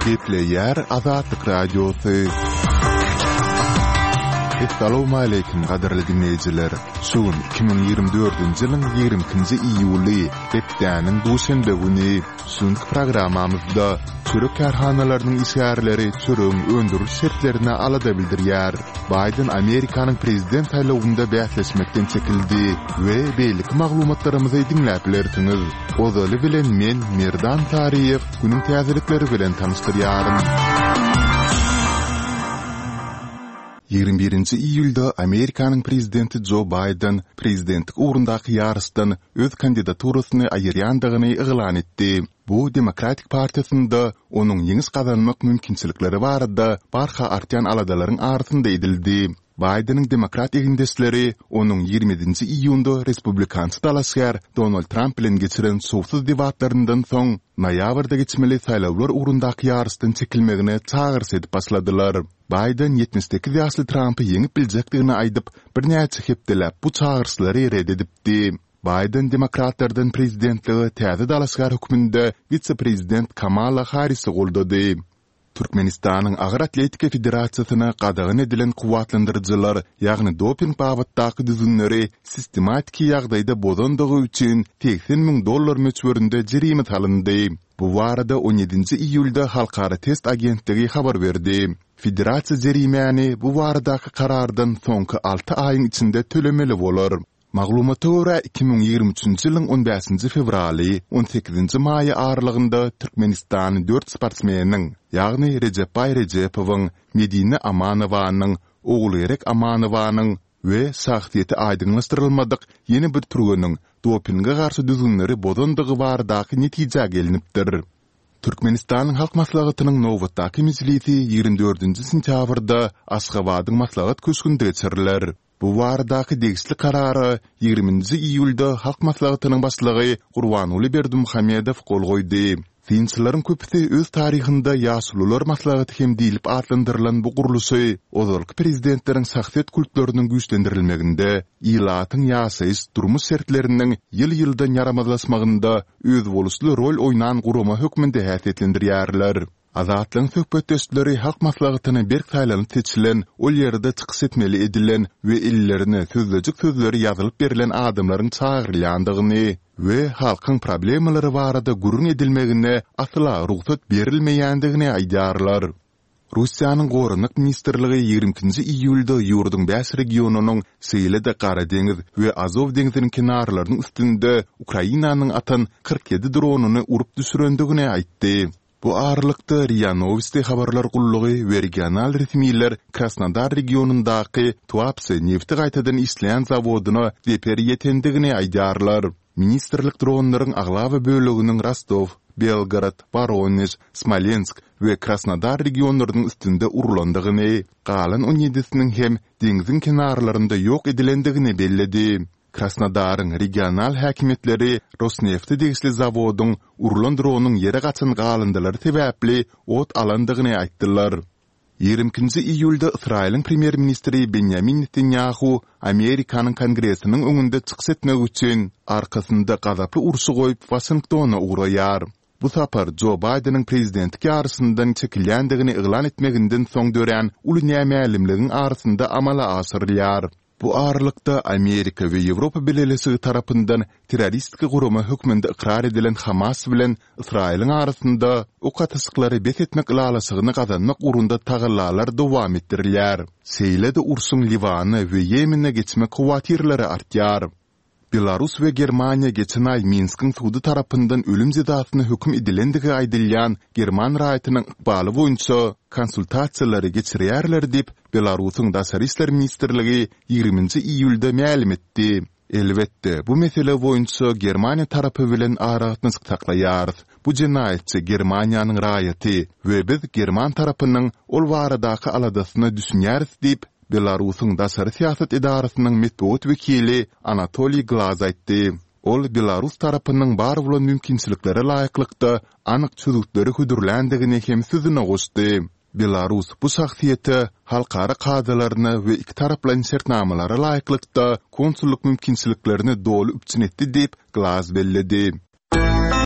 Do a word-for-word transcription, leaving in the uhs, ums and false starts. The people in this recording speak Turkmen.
Gepleýär Azatlyk Radiosy. Essalawmaleýkim gadyrly diňleýjiler! Şu gün iki müň ýigrimi dördünji ýylyň ýigrimi ikinji iýuly, hepdäniň duşenbe güni. Şu günki programmamyzda çörek kärhanalarynyň işgärleri çöregiň öndüriliş şertlerine alada bildirýär. Baýden Amerikanyň prezident saýlawynda bäsleşmekden çekildi we beýleki maglumatlarymyzy diňläp bilersiňiz. Ozaly bilen men, Merdan Saryýew, günüň täzelikleri bilen tanyşdyrýaryn. Ýigrimi birinji iýulda Amerikanyň prezidenti Jo Baýden prezidentlik ugrundaky ýaryşdan öz kandidaturasyny aýyrýandygyny yglan etdi. Bu Demokratik partiýasynda onuň ýeňiş gazanmak mümkinçilikleri barada barha artýan aladalaryň arasynda edildi. Baýdeniň demokrat egindeşleri onuň ýigrimi ýedinji iýunda respublikançy dalaşgär Donald Tramp bilen geçiren şowsuz debatlaryndan soň, noýabrda geçmeli saýlawlar ugrundaky ýaryşdan çekilmegine çagyryş edip başladylar. Baýden ýetmiş sekiz ýaşly Trampy ýeňip biljekdigini aýdyp, birnäçe hepdeläp bu çagyryşlary ret edipdi. Baýden demokratlardan prezidentlige täze dalaşgär hökmünde wise-prezident Kamala Harrisi goldady. Türkmenistanyň Agyr atletika federasiýasyna gadagan edilen kuwwatlandyryjylar, ýagny doping babatdaky düzgünleri sistematiki ýagdaýda bozandygy üçin segsen müň dollar möçberinde jerime salyndy. Bu barada on ýedinji iýulda Halkara test agentligi habar berdi. Federasiýa jerimäni bu baradaky karardan soňky alty aýyň içinde tölemeli bolar. Maglumata görä, iki müň ýigrimi üçünji ýylyň on bäşinji fewraly, on sekizinji maýy aralygynda Türkmenistany dört sportsmeniň, ýagny Rejepbaý Rejepowyň, Medine Amanowanyň, Ogulgerek Amanowanyň we şahsyýeti aýdyňlaşdyrylmadyk ýene bir türgeniň dopinge garşy düzgünleri bozandygy baradaky netijä gelnipdir. Türkmenistanyň Halk Maslahatynyň nobatdaky mejlisi ýigrimi dördünji sentýabrda Aşgabadyň Maslahat köşgünde geçiriler. Bu baradaky degişli Karara ýigrimi nji iýulda Halk Maslahatynyň Başlygy Gurbanguly Berdimuhamedow gol goýdy. Synçylaryň köpüsi öz taryhynda Ýaşulular maslahaty hem diýlip atlandyrylan bu gurluşy ozalky prezidentleriň şahsyýet kultlarynyň güýçlendirilmeginde, ilatyň ýaşaýyş, durmuş şertleriniň ýyl-ýyldan ýaramazlaşmagynda özboluşly rol oýnan gurama hökmünde häsiýetlendirýärler. Azatlygyň söhbetdeşleri Halk Maslahatyna berk saýlanyp seçilen, ol ýerde çykyş etmeli edilen we ellerine sözlejik sözleri ýazylyp berlen adamlaryň çagyrylýandygyny we halkyň problemalary barada gürrüň edilmegine asla rugsat berilmeýändigini aýdýarlar. Russiýanyň Goranmak ministrligi ýigrimi ikinji iýulda ýurduň bäş regionynyň, şeýle-de Gara deňiz we Azow deňziniň kenarlarynyň üstünde Ukrainanyň atan kyrk ýedi dronyny urup düşürendigini aýtdy. Bu aralykda, RIA Nowosti habarlar gullugy we regional resmiler Krasnodar regionyndaky Tuapse nebti gaýtadan işleýän zawodyna zeper ýetendigini aýdýarlar. Ministrlik dronlaryň aglaba böleginiň Rostow, Belgorod, Woronež, Smolensk we Krasnodar regionlarynyň üstünde urlandygyny, galan on ýedisiniň hem deňziň kenarlarynda ýok edilendigini belledi. Krasnodaryň regional häkimiýetleri Rosnefte degişli zawodyň urlan dronyň ýere gaçan galyndylary sebäpli ot alandygyny aýtdylar. Ýigrimi ikinji iýulda Ysraýylyň premýer-ministri Benýamin Netanýahu Amerikanyň Kongresiniň öňünde çykyş etmek üçin arkasynda gazaply urşy goýup Waşingtona ugraýar. Bu sapar Jo Baýdeniň prezidentlik ýaryşyndan çekilýändigini yglan etmeginden soň dörän uly nämälimligiň arasynda amala aşyrylýar. Bu aralykda, Amerika we Ýewropa Bileleşigi tarapyndan terroristik gurama hökmünde ykrar edilen Hamas bilen Ysraýylyň arasynda ok atyşyklary bes etmek ylalaşygyny gazanmak ugrunda tagallalar dowam etdirilýär. Şeýle-de urşuň Liwana we Ýemene geçmek howatyrlary artýar. Belarus we Germaniýa geçen aý Minskiň sudy tarapyndan ölüm jezasyna höküm edilendigi aýdylýan german raýatynyň ykbaly boýunça konsultasiýalary geçirýärler diýip, Belarusyň Daşary işler ministrligi ýigriminji iýulda mälim etdi. Elbetde, bu mesele boýunça Germaniýa tarapy bilen aragatnaşyk saklaýarys. Bu jenaýatçy Germaniýanyň raýaty we biz german tarapynyň ol baradaky aladasyna düşünýäris diýip, Belarusyň daşary syýasat edarasynyň metbugat wekili Anatoliý Glaz aýtdy. Ol belarus tarapynyň bar bolan mümkinçiliklere laýyklykda anyk çözgütleri hödürländigini hem sözüne goşdy. Belarus bu şahsyýete halkara kadalaryna we ikitaraplaýyn şertnamalara laýyklykda konsullyk mümkinçiliklerini doly üpjün etdi diýip, Glaz belledi.